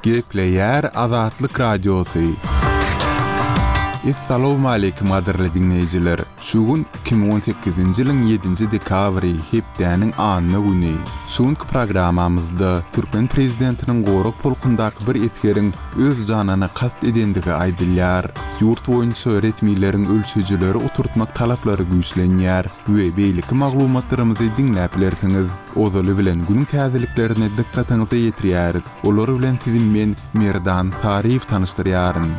Gepleýär Azatlyk Radiosy. Essalawmaleýkim gadyrly diňleýjiler! Şu gün 2018-nji ýylyň ýedinji dekabry, hepdäniň anna güni. Şu günki programmamyzda türkmen prezidentiniň gorag polkundaky bir esgeriň öz janyna kast edendigi aýdylýar. Ýurt boýunça resmileriň ölçeýjileri oturtmak talaplary güýçlenýär we beýleki maglumatlarymyzy diňläp bilersiňiz. Ozaly bilen günüň täzeliklerini dykgatyňyza ýetirýäris. Olar bilen sizi men, Merdan Saryýew tanyşdyrýaryn.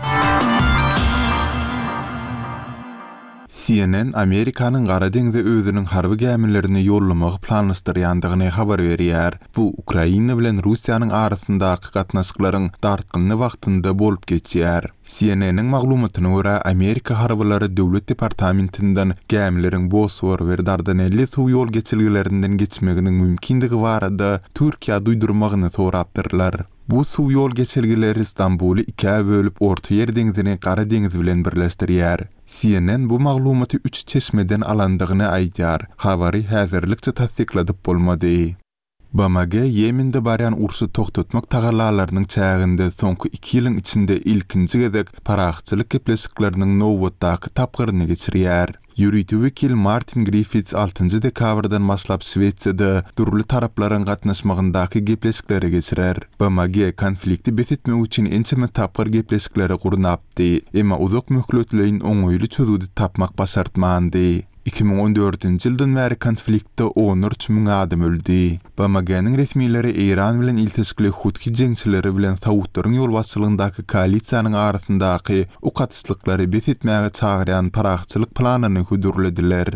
CNN Amerikanyň Gara deňze özüniň harby gämilerini ýollamagy planlaşdyrýandygyny habar berýär. Bu Ukraina bilen Russiýanyň arasyndaky gatnaşyklaryň dartgynly wagtynda bolup geçýär. CNN-iň maglumatyna görä, Amerika harbylary Döwlet departamentinden gämileriň Bosfor we Dardanelli suw ýol geçelgelerinden geçmeginiň mümkindigi barada Türkiýä duýdurmagyny sorapdyrlar. Bu suw ýol geçelgeleri Stambuly ikä bölüp Ortaýer deňzini Gara deňiz bilen birleşdirýär. CNN bu maglumaty üç çeşmeden alandygyny aýdýar. Habary häzirlikçe tassykladyp bolmady. BMG Ýemende barýan urşy togtatmak tagallalarynyň çäginde soňky iki ýylyň içinde ilkinji gezek parahatçylyk gepleşikleriniň nobatdaky tapgyryny geçirýär. Ýörite wekil Martin Griffits altynjy dekabrdan başlap Şwesiýada dürli taraplaryň gatnaşmagyndaky gepleşikleri geçirer. BMG konflikti bes etmek üçin ençeme tapgyr gepleşikleri gurnapdy, emma uzak möhletleýin oňaýly çözgüdi tapmak başartmandy. 2014-nji ýyldan bäri konfliktde onlarça müň adam öldi. BMG-niň resmileri Eýran bilen ilteşikli Huthi jeňçileri bilen saudlaryň ýolbaşçylygyndaky koalisiýanyň arasyndaky ok atyşlyklary bes etmäge çagyrýan parahatçylyk planyny hödürlediler.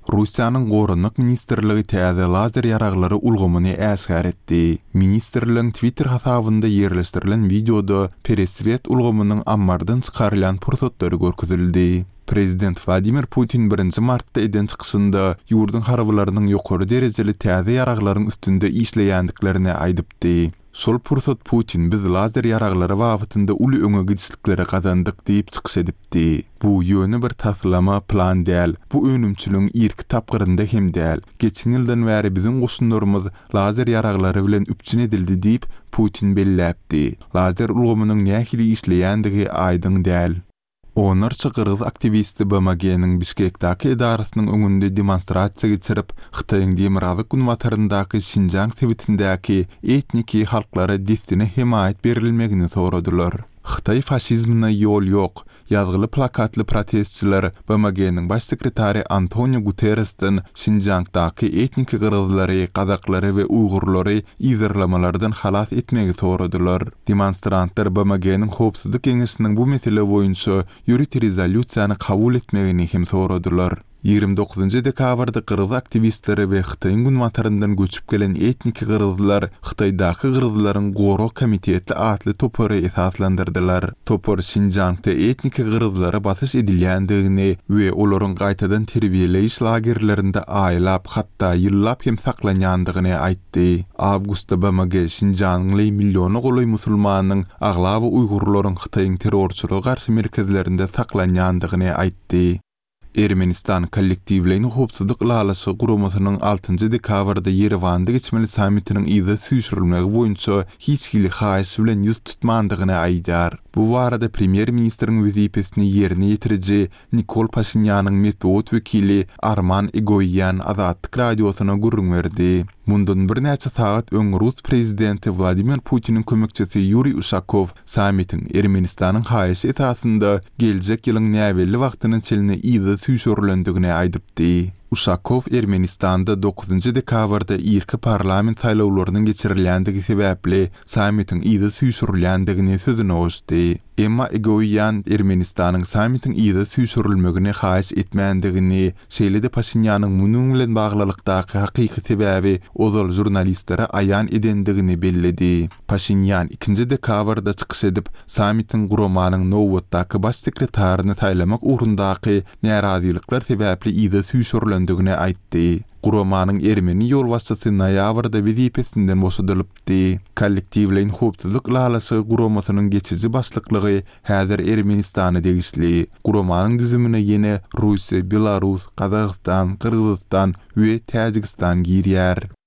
Russiýanyň Goranmak ministrligi täze lazer ýaraglary ulgamyny äşgär etdi. Ministrligiň Twitter hasabynda ýerleşdirilen wideoda Pereswet ulgamynyň ammardan çykarylýan pursatlary görkezildi. Prezident Wladimir Putin birinji martda eden çykyşynda ýurduň harbylarynyň ýokary derejeli täze ýaraglaryň üstünde işleýändiklerini aýdypdy. Şol pursat Putin biz lazer ýaraglary babatynda uly öňe gidişlikleri gazandyk diýip çykyş edipdi. Bu ýöne bir taslama, plan däl. Bu önümçiligiň irki tapgyrynda hem däl. Geçen ýyldan bäri biziň goşunlarymyz lazer ýaraglary bilen üpjün edildi diýip, Putin belläpdi. Lazer ulgamynyň nähili işleýändigi aýdyň däl. Onlarça gyrgyz aktiwisti BMG-niň Bişkekdäki edarasynyň öňünde demonstrasiýa geçirip, Hytaýyň demirgazyk-günbataryndaky Şinjiang sebitindäki etniki halklara dessine hemaýat berilmegini soradylar. Hytaý faşizmine ýol ýok! ýazgyly plakatly protestçiler BMG-niň Baş sekretary Antonio Guterresden Şinjiangdaky etniki gyrgyzlary, gazaklary we uýgurlary yzarlamalardan halas etmegi soradylar. Demonstrantlar BMG-niň Howpsuzlyk Geňeşiniň bu mesele boýunça ýörite rezolýusiýany kabul etmegini hem soradylar. 29 dekabrda gyrgyz aktiwistleri we Hytaýyň günbataryndan göçüp gelen etniki gyrgyzlar Hytaýdaky gyrgyzlaryň gorag komiteti atly topary esaslandyrdylar. Topar Şinjiangda etniki gyrgyzlara basyş edilýändigini we olaryň gaýtadan terbiýeleýiş lagerlerinde aýlap, hatda ýyllap hem saklanýandygyny aýtdy. Aýtdy. Awgustda BMG şinjanly milliona golaý musulmanyň, aglaba uýgurlaryň Hytaýyň terrorçylyga garşy merkezlerinde saklanýandygyny aýtdy. Ermenistan Kollektiwleýin howpsuzlyk ylalaşygy guramasynyň altynjy dekabrda Ýerewanda geçmeli sammitiniň yza süýşürilmegi boýunça hiç hili haýyş bilen ýüz tutmandygyny aýdýar. Bu barada premýer-ministriň wezipesini ýerine ýetiriji Nikol Paşinýanyň metbugat wekili Arman Egoýan Azatlyk Radiosyna gürrüň berdi. Mundan birnäçe sagat öň rus prezidenti Wladimir Putiniň kömekçisi Ýuriý Uşakow sammitiň Ermenistanyň haýyşy esasynda geljek ýylyň näbelli wagtyna çenli yza süýşürilendigini aýdypdy. Uşakow Ermenistanda dokuzynjy dekabrda irki parlament saýlawlarynyň geçirilýändigi sebäpli sammitiň yza süýşürilýändigini sözüne goşdy. Emma Egoýan Ermenistanyň sammitiň yza süýşürilmegini haýyş etmändigini, şeýle-de Paşinýanyň munuň bilen baglylykdaky hakyky sebäbi ozal žurnalistlere aýan edendigini belledi. Paşinýan ikinji dekabrda çykyş edip, sammitiň guramanyň nobatdaky baş sekretaryny saýlamak ugrundaky närazylyklar sebäpli yza süýşürilendigini aýtdy. Guramanyň ermeni ýolbaşçysy noýabrda wezipesinden boşadylypdy. Kollektiwleýin howpsuzlyk ylalaşygy guramasynyň geçiji başlyklygy häzir Ermenistana degişli. Guramanyň düzümine ýene Russiýa, Belarus, Gazagystan, Gyrgyzystan we Täjigistan girýär.